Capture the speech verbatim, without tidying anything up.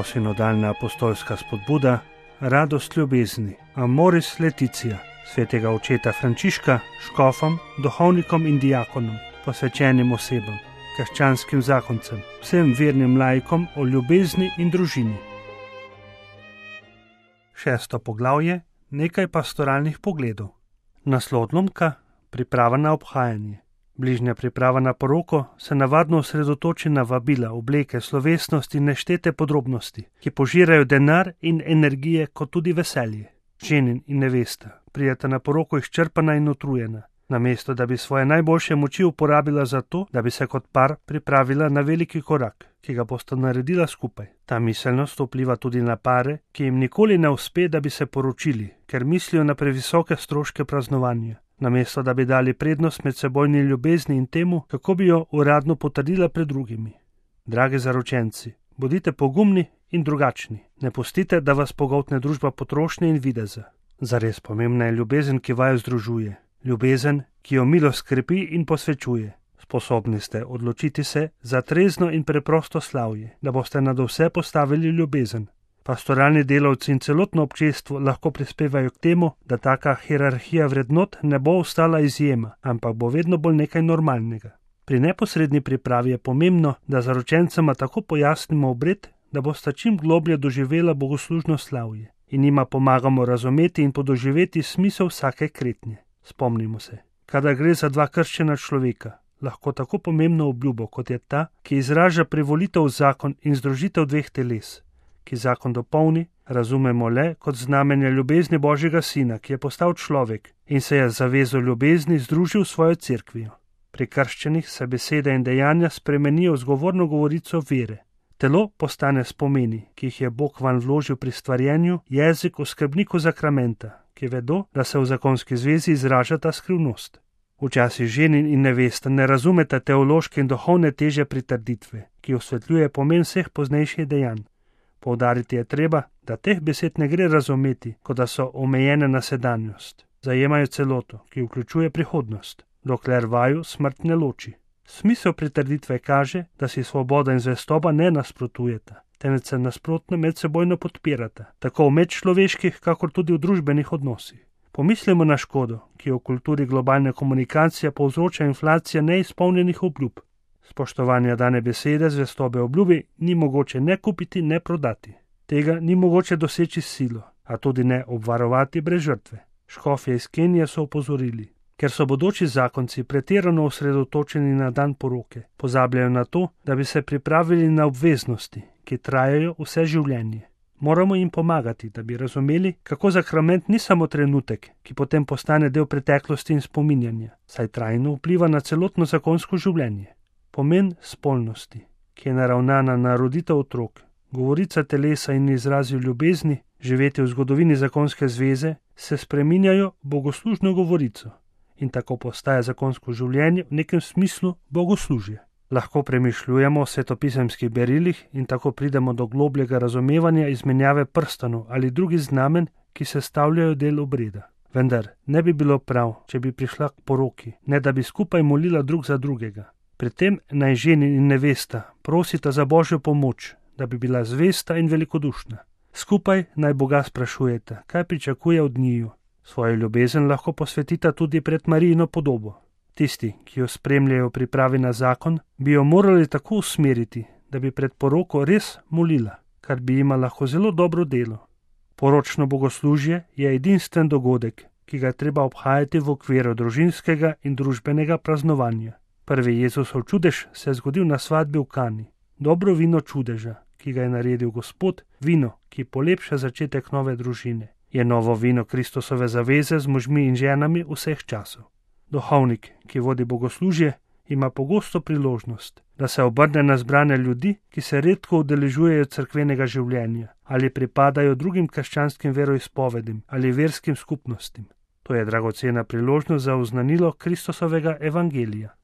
Posinodalna apostolska spodbuda, radost ljubezni, Amoris Laetitia, svetega očeta Frančiška, škofom, duhovnikom in diakonom, posvečenim osebam, krščanskim zakoncem, vsem vernim laikom o ljubezni in družini. Šesto poglavje, nekaj pastoralnih pogledov. Naslov odlomka, priprava na obhajanje. Bližnja priprava na poroko se navadno osredotoči na vabila, obleke, slovesnosti in neštete podrobnosti, ki požirajo denar in energije kot tudi veselje. Ženin in nevesta prideta na poroko izčrpana in utrujena, namesto da bi svoje najboljše moči uporabila za to, da bi se kot par pripravila na veliki korak, ki ga bosta naredila skupaj. Ta miselnost vpliva tudi na pare, ki jim nikoli ne uspe, da bi se poročili, ker mislijo na previsoke stroške praznovanja, namesto da bi dali prednost medsebojni ljubezni in temu, kako bi jo uradno potrdila pred drugimi. Dragi zaročenci, bodite pogumni in drugačni. Ne pustite, da vas pogoltne družba potrošnje in videza. Zares pomembna je ljubezen, ki vaju združuje. Ljubezen, ki jo milost krepi in posvečuje. Sposobni ste odločiti se za trezno in preprosto slavje, da boste nad vse postavili ljubezen. Pastoralni delavci in celotno občestvo lahko prispevajo k temu, da taka hierarhija vrednot ne bo ostala izjema, ampak bo vedno bolj nekaj normalnega. Pri neposredni pripravi je pomembno, da zaročencema tako pojasnimo obred, da bosta čim globlje doživela bogoslužno slavje in njima pomagamo razumeti in podoživeti smisel vsake kretnje. Spomnimo se, kadar gre za dva krščena človeka, lahko tako pomembno obljubo, kot je ta, ki izraža privolitev v zakon in združitev dveh teles, ki zakon dopolni, razumemo le kot znamenje ljubezni Božjega Sina, ki je postal človek in se je z zavezo ljubezni združil s svojo cerkvijo. Pri krščenih se besede in dejanja spremenijo v zgovorno govorico vere. Telo postane spomeni, ki jih je Bog vanj vložil pri stvarjenju, jezik v skrbniku zakramenta, ki vedo, da se v zakonski zvezi izraža ta skrivnost. Včasih ženin in nevesta ne razumeta teološke in duhovne teže pritrditve, ki osvetljuje pomen vseh poznejših dejanj. Poudariti je treba, da teh besed ne gre razumeti, kot da so omejene na sedanjost. Zajemajo celoto, ki vključuje prihodnost, dokler vaju smrt ne loči. Smisel pritrditve kaže, da si svoboda in zvestoba ne nasprotujeta, temveč se nasprotno medsebojno podpirata, tako v medčloveških, kakor tudi v družbenih odnosih. Pomislimo na škodo, ki jo v kulturi globalne komunikacije povzroča inflacija neizpolnjenih obljub. Spoštovanja dane besede, zvestobe obljubi ni mogoče ne kupiti, ne prodati. Tega ni mogoče doseči s silo, a tudi ne obvarovati brez žrtve. Škofje iz Kenije so opozorili, ker so bodoči zakonci pretirano osredotočeni na dan poroke, pozabljajo na to, da bi se pripravili na obveznosti, ki trajajo vse življenje. Moramo jim pomagati, da bi razumeli, kako zakrament ni samo trenutek, ki potem postane del preteklosti in spominjanja, saj trajno vpliva na celotno zakonsko življenje. Pomen spolnosti, ki je naravnana na roditev otrok, govorica telesa in izrazi ljubezni, živeti v zgodovini zakonske zveze, se spreminjajo v bogoslužno govorico in tako postaja zakonsko življenje v nekem smislu bogoslužje. Lahko premišljujemo o svetopisemskih berilih in tako pridemo do globljega razumevanja izmenjave prstanov ali drugih znamen, ki sestavljajo del obreda. Vendar ne bi bilo prav, če bi prišla k poroki, ne da bi skupaj molila drug za drugega. Pri tem naj ženin in nevesta prosita za Božjo pomoč, da bi bila zvesta in velikodušna. Skupaj naj Boga sprašujeta, kaj pričakuje od njiju. Svojo ljubezen lahko posvetita tudi pred Marijino podobo. Tisti, ki jo spremljajo v pripravi na zakon, bi jo morali tako usmeriti, da bi pred poroko res molila, kar bi jima lahko zelo dobro delo. Poročno bogoslužje je edinstven dogodek, ki ga je treba obhajati v okviru družinskega in družbenega praznovanja. Prvi Jezusov čudež se je zgodil na svadbi v Kani. Dobro vino čudeža, ki ga je naredil Gospod, vino, ki polepša začetek nove družine, je novo vino Kristusove zaveze z možmi in ženami vseh časov. Duhovnik, ki vodi bogoslužje, ima pogosto priložnost, da se obrne na zbrane ljudi, ki se redko udeležujejo cerkvenega življenja ali pripadajo drugim krščanskim veroizpovedim ali verskim skupnostim. To je dragocena priložnost za oznanilo Kristusovega evangelija.